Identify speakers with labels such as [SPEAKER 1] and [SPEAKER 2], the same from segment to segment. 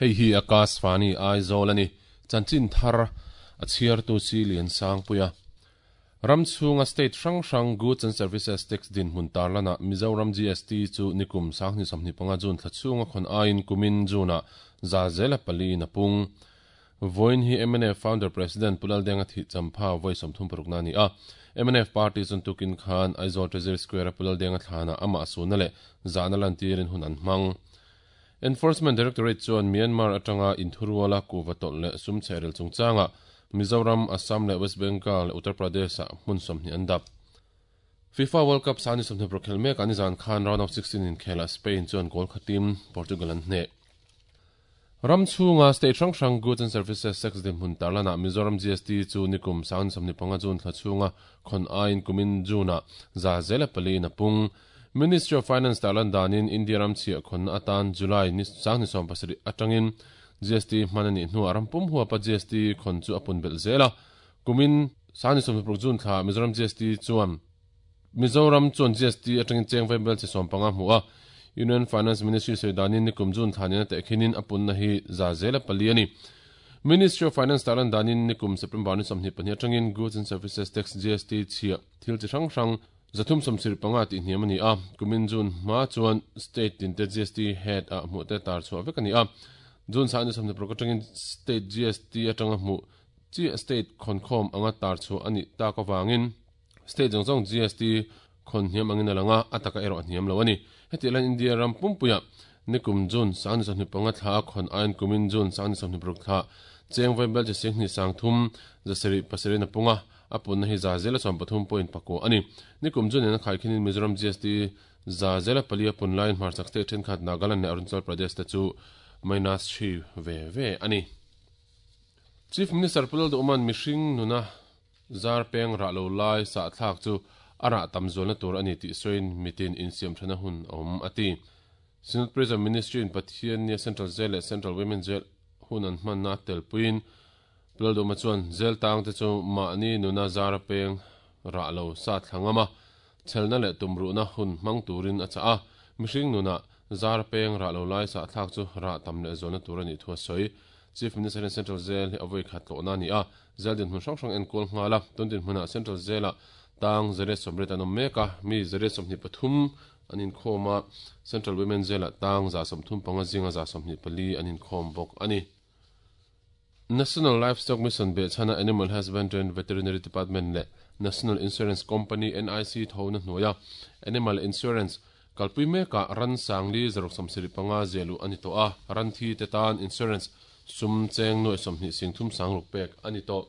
[SPEAKER 1] Hei hi Akashvani Aizawl a ni. Chanchin thar a chhiartu si Lian Sangpuia. Ram chhunga state hrang hrang Goods and Services Tax dinhmun tarlanah Mizoram GST chu nikum 2025 June thla chhunga khawn aiin kumin June-ah 4% in a pung. Vawiin hi mnf Founder President Pu Laldenga thih champha vawi 36 na a ni a. Mnf party chuan tukin khan Aizawl Treasury Square-a Pu Laldenga thlanah amah suhna leh zahna lantirin hun an hmang. Enforcement Directorate chuan Myanmar atanga inthuruala kuhva tawlh leh sum chhehrel chungchangah Mizoram, Assam leh West Bengal leh Uttar Pradesh-ah hmun 20 an dap. FIFA World Cup 26 khelh mekah nizan khan round of 16 inkhelah Spain chuan goal khatin Portugal an hneh. Ram chhunga state hrang hrang Goods and Services Tax dinhmun tarlanah Mizoram GST chu nikum 2025 June thla chhunga khawn aiin kumin June-ah 4% in a pung. Ministry of Finance tarlan danin India ram chhiah khawnna atan July ni 2017 atangin GST hman a nih hnuah ram pum huapa GST khawn chu a pun belh zel a. Kumin 2026 June thla Mizoram GST chuan Mizoram chuan GST atangin cheng vaibel chi 15 hmu a. Union Finance Ministry sawi danin nikum June thla nena tehkhinin a punna hi 4% a ni. Ministry of Finance tarlan danin nikum September ni 22 atangin Goods and Services Tax GST chhiah thil chi hrang hrang 375 tih hniam a ni a, kumin June hma chuan state tinte GST head ah hmuh te tar chhuah vek a ni a. June 26 atangin state GST atanga hmuh chiah state khawnkhawm anga tar chhuah a nih tak avangin state zawng zawng GST khawn hniam angin a lang a, a taka erawh a hniam lo a ni. Hetiang hian India ram pumpuiah nikum June 25 thla a khawn aiin kumin June 26 thla cheng vaibel chi 23 7 a pung a, A punna hi 13.9 a ni. Nikum chu nena khaikhinin Mizoram GST 4% a pun laiin hmarchhak state thenkhat Nagaland leh Arunachal Pradesh te chu minus 3 ve ve a ni. Chief Minister Pu Lalduhman mihring nuna zar peng rah lo lai sahthlak chu a rah tam zualna tur a ni tih sawiin mitin insiamthana hun a awm a ti. Synod Prison Ministry in Pathian nia Central Jail leh Central Women Jail hun an hmanna telpuiin Lalduhma chuan zel tang te chu mahni nuna zara peng rah lo sa thla ngam a, chhelna leh tumruhna hun hmang turin a chah a. Mihring nuna zara peng rah lo lai sahthlak chu rah tam leh zualna tur a nih thu a sawi. Chief Minister hian Central Jail hi a vawi khat tlawhna a ni a, jail dinhmun hrang hrang enkual nghal a. Tun dinhmunah Central Jail-ah tang 180 an awm mek a, mi 123 an inkhawm a, Central Women Jail-ah tang 135 zinga 124 an inkhawm bawk a ni. National Livestock Mission behchhana Animal Husbandry and Veterinary Department leh National Insurance Company, NIC, thona hnuaia Animal Insurance kalpui mekah ran sangli 675 ziah luh a ni tawh a, ran thi te tan insurance sum cheng nuai 20 sing thum sang ruk pek a ni tawh.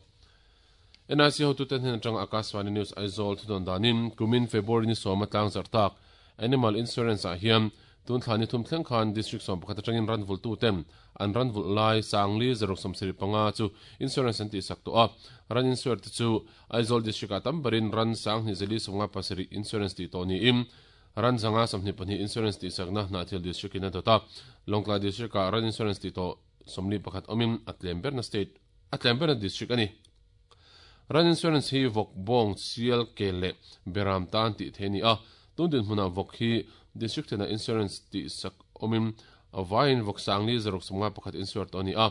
[SPEAKER 1] NIC hotute hnen atanga Akashvani News Aizawl thudawn danin kumin February ni sawma tlangzarh tak Animal Insurance ah hian tun thla ni thum thleng khan District 11 atangin ran vulhtuten an ran vulh lai sangli 675 chu insurance an tihsak tawh a, ran insure te chu Aizawl District ah tam berin ran 2457 insurance tih tawh niin ran 122 insurance tihsakna Hnahthial District in a dawt a, Lawngtlai District ah ran insurance tih tawh 41 awmin a tlem berna state a tlem berna district a ni. Ran insurance hi vawk, bawng, sial, kel leh beram tan tih theih a ni a. Tun dinhmunah vawk hi district thenah insurance tihsak awmin a vaiin vawk sangli 651 insure tawh a ni a.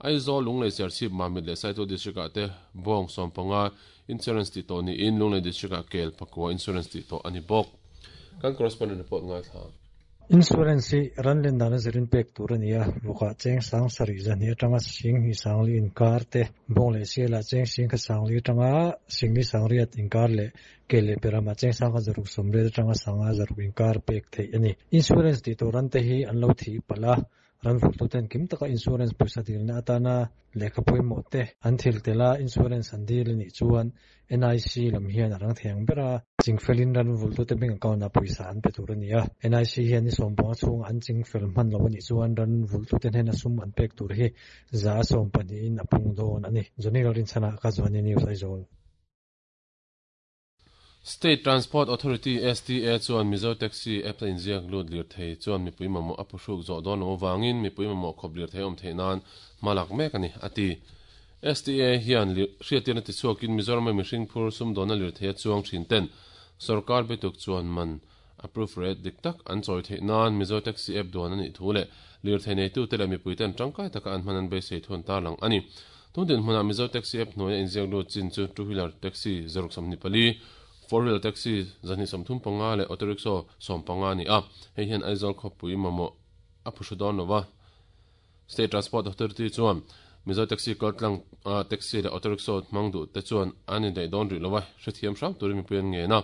[SPEAKER 1] Aizawl, Lunglei, Serchhip, Mamit leh Saitual district ah te bawng 15 insurance tih tawh niin Lunglei district ah kel pakua insurance tih tawh a ni bawk. Kan correspondent report ngaithla.
[SPEAKER 2] Insurance hi ran len dana zirin pek tur a ni a, vawkah cheng sang sarih zahnih atanga sing hnih sangli inkar te, bawng leh sialah cheng sing kha sangli atanga singli sangriat inkar leh ke leh peramah cheng sang kha zaruk sawmriat atanga sanga zaruk inkar pek theih a ni. Insurance tih tur ran te hi an lo thih palh a, ran vulhtuten kim taka insurance pawisa dilna atana lehkha pawimawh te an thil tel a, insurance an dil a nih chuan NIC lam hian a rang thei ang ber a, chingfelin ran vulhtute bank account-ah pawisa an pe tur a ni a. NIC hian ni sawmpanga chhunga an chingfel hman lo a nih chuan ran vulhtute hnena sum an pek tur hi 12% in a pung dawn a ni. Johnny Lalrinchhana, Akashvani News, Aizawl.
[SPEAKER 1] State Transport Authority, STA, chuan Mizo Taxi app a inziak lut lirthei chuan mipui mamawh a phuhruk zawh dawn loh avangin mipui mamawh khawp lirthei awm theih nan hma lak mek a ni, a ti. STA hian hriattirna tichhuakin Mizorama mihring phur sumdawnna lirthei a chuang thin ten sorkar bituk chuan man Approve rate dik tak an chawi theih nan Mizo Taxi App duan a nih thu leh lirthei neitute leh mipuiten tangkai taka an hman an beisei thu an tarlang a ni. Tun dinhmunah Mizo Taxi App hnuaia inziak lut chin chu Two Wheeler Taxi 124, Four Wheeler Taxi 235 leh Auto Rickshaw 15 a ni a, hei hian Aizawl khawpui mamawh a phuhru dawn lo va. State Transport Authority chuan Mizo Taxi kaltlang a taxi leh auto rickshaw hmang duh te chuan an indaih dawn rih lo a, hrethiam hram turin mipui an ngen a.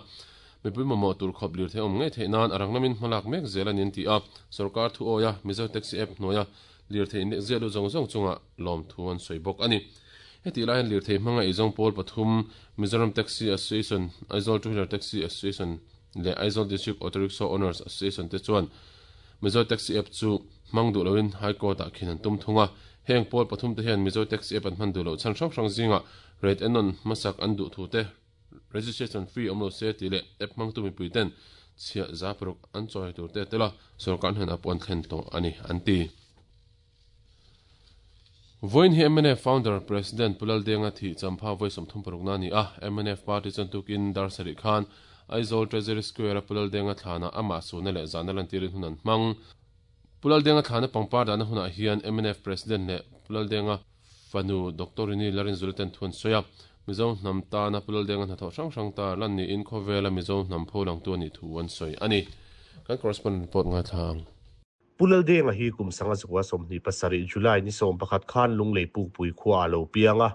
[SPEAKER 1] Mipui mamawh tur khawp lirthei awm ngei theih nan a rang lamin hmalak mek zel a ni an ti a, sorkar thu awia Mizo Taxi app hnuaia lirthei inlek ziah lut zawng zawng chungah lawmthu an sawi bawk a ni. Hetih lai hian lirthei hmanga eizawng pawl pathum Mizoram Taxi Association, Aizawl Two Wheeler Taxi Association leh Aizawl District Auto Rickshaw Owners Association te chuan Mizo Taxi App chu hmang duh loin High Court ah khin an tum thung a. Heng pawl pathum te hian Mizo Taxi App an hman duh loh chhan hrang hrang zingah rate ennawn hmasak an duh thu te, registration fee awm lo se tih leh app hmangtu mipui ten chhiah za paruk an chawi tur te tel a, sorkar hnenah pawh an thlen tawh a ni an ti. Vawiin hi mnf Founder President Pu Laldenga thih champha vawi 36 na a ni a, mnf Party chuan tukin dar sarih khan Aizawl Treasury Square-a Pu Laldenga thlanah amah suhna leh zahna lantirin hun an hmang. Pu Laldenga thlana pangpar dahna hunah hian mnf President leh Pu Laldenga fanu Doctor Rini Larinzula ten thu an sawi a, Mizo hnam tana Pu Laldenga hnathawh hrang hrang tar lan niin khawvela Mizo hnam pholangtu a nih thu an sawi a ni. Kan correspondent report ngaithla ang.
[SPEAKER 3] Pu Laldenga hi kum 1927 July ni 11 khan Lunglei Pukpui khua a lo piang a.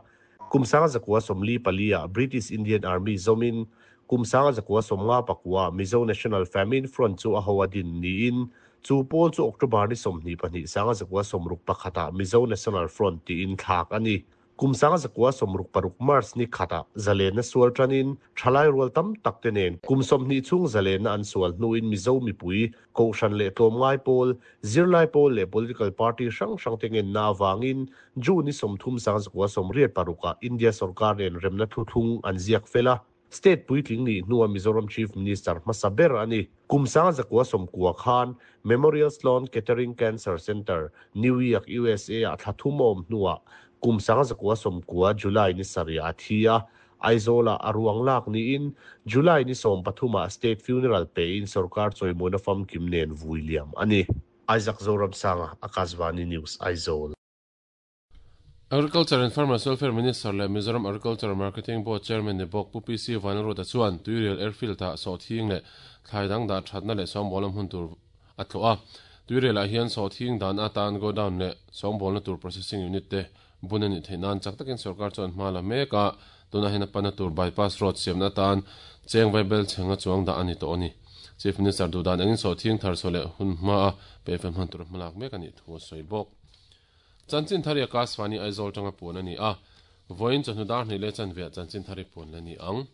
[SPEAKER 3] Kum 1944 ah British Indian Army zawmin kum 1959 Mizo National Famine Front chu a ho a din niin chu pawl chu October ni 22 1961 ah Mizo National Front tiin thlak a ni. Kum 1966 March ni khatah zalenna sual tanin thalai rual tam tak te nen kum 20 chhung zalenna an sual hnuin Mizo mipui, Kohhran leh tlawmngai pawl, zirlai pawl leh political party hrang hrang te ngenna avangin June ni 30 1986 ah India sorkar nen remna thuthlung an ziak fel a. State puitling nih hnua Mizoram Chief Minister hmasa ber a ni. Kum 1990 khan Memorial Sloan Kettering Cancer Center, New York, USA ah thla thum a awm hnuah kum 1990 July ni sarih a thi a, Aizawl-ah a ruang lak niin July ni 13 ah State Funeral pein sorkar chawimawina famkim nen vui liam a ni. Isaac Zoramsanga, Akashvani News, Aizawl.
[SPEAKER 1] Agriculture and Farmers Welfare Minister leh Mizoram Agriculture Marketing Board Chairman ni bawk Pu PC Vanlalruata chuan Tuirial Airfield-ah sawhthing leh thlai dang dah thatna leh sawngbawlna hmun tur a tlawh a. Tuirialah hian sawhthing dan atan godown leh sawngbawlna tur processing unit te bun a nih theih nan chak takin sorkar chuan hma la mek a, tunah hian a pana tur bypass road siamna atan cheng vaibel chhenga chuang dah a ni tawh a ni. Chief Minister duhdan engin sawhthing thar chhuah leh hun hmaa peihfel hman tur hmalak mek a nih thu a sawi bawk. Chanchin thar i Akashvani Aizawl tanga puan a ni a, vawiin chawhnu dar hnih leh chanveah chanchin thar i puan la ni ang.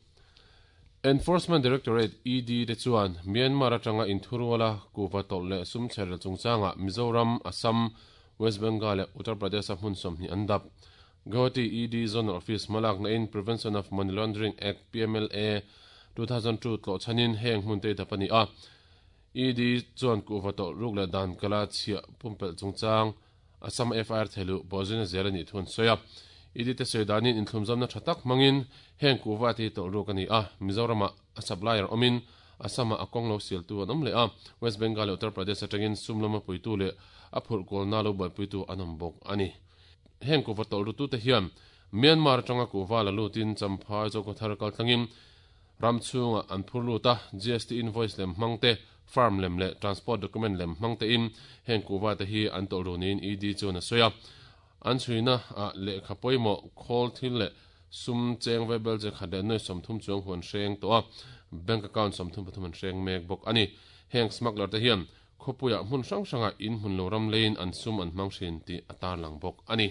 [SPEAKER 1] Enforcement Directorate, ED, te chuan Myanmar atanga inthuruala kuhva tawlh leh sum chherel chungchangah Mizoram, Assam, West Bengal leh Uttar Pradesh-a hmun 20 an dap. Guwahati ED Zonal Office hmalakna in Prevention of Money Laundering Act, PMLA, 2002 tlawh chhanin heng hmun te i dap a ni a. ED chuan kuhva tawlh ruk leh dan kala chhiah pumpelh chungchang Assam FIR theiluh pawhzina zel a nih thu an sawi a. ED te sawi danin inthlumzamna tha tak hmangin heng kuhva te hi tawlh ruk a ni a, Mizoramah a supplier awmin Assam-ah a kawng lo sialtu an awm leh a, West Bengal leh Uttar Pradesh atangin sum lama puitu leh a phurh kawlna lo buaipuitu an awm bawk a ni. Heng kuhva tawlh rutute hian Myanmar atanga kuhva la lutin Champhai Zokhawthar kaltlangin Ram chhungah an phur lut a, GST invoice lem hmang te, firm lem leh transport document lem hmang tein heng kuhva te hi an tawlh ru niin ED chuan a sawi a. An chhuina ah lehkha pawimawh, khawl thil leh sum cheng vaibel che khat leh nuai 30 chuang hu an hreng tawh a, bank account 33 an hreng mek bawk a ni. Heng smuggler te hian khawpuiah hmun hrang hrangah in hmun lo ram leiin an sum an hmang thin tih a tarlang bawk a ni.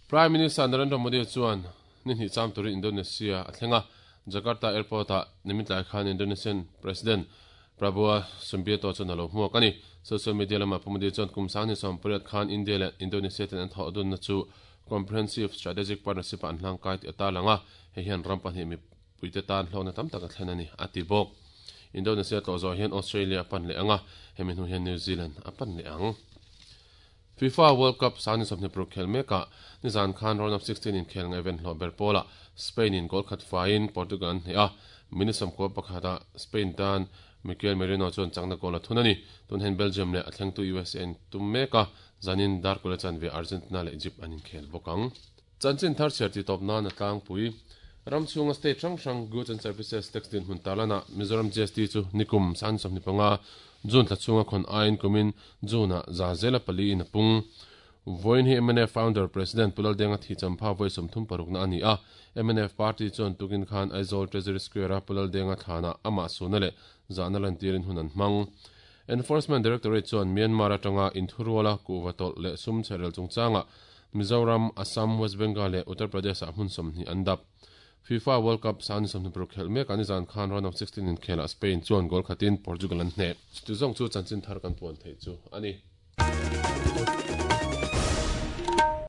[SPEAKER 1] Prime Minister Narendra Modi chuan ni hnih cham turin Indonesia a thleng a, Jakarta Airport-ah nimin tlai khan Indonesian President Prabowo Subianto chuan a lo hmuak a ni. Social media lamah Pu Modi chuan kum 2018 khan India leh Indonesia ten an thawh dunna chu Comprehensive Strategic Partnership-ah an hlangkai tih a tarlang a, hei hian ram pahnih mipuite tan hlawkna tam tak a thlen a ni, a ti bawk. Indonesia tlawh zawh hian Australia a pan leh ang a, hemi hnu hian New Zealand a pan leh ang. FIFA World Cup 2026 khel mekah nizan khan round of 16 inkhel ngaihven hlawh ber pawlah Spain in goal khat faiin Portugal an hneh a, minute 11 ah Spain tan Mikel Merino chuan chakna goal a thun a ni. Tun hian Belgium leh a thlengtu USA an tum mek a, zanin Darkula chanve Argentina leh Egypt an inkhel bawk ang. Chanchin thar chhiar tih tawp nan a tlangpui. Ram chhunga state hrang hrang Goods and Services Tax dinhmun tarlanah Mizoram GST chu nikum 25 June thla chhunga khawn aiin kumin June-ah za zela pali in a pung. Vawiin hi mnf Founder President Pu Laldenga thi champha vawi 36 na a ni a. Mnf Party chuan tukin khan Aizawl Treasury Square-a Pu Laldenga thlanah amah suna leh zahna lantirin hun an hmang. Enforcement Directorate chuan Myanmar atanga inthuruala kuhva tawlh leh sum chherel chungchangah Mizoram, Assam, West Bengal leh Uttar Pradesh-ah hmun 20 an dap. FIFA World Cup sani 26 khelh mek a nizan khan round of 16 inkhelah Spain chuan goal khatin Portugal an hneh. Chutizawng chu chanchin thar kan puan theih chu a ni.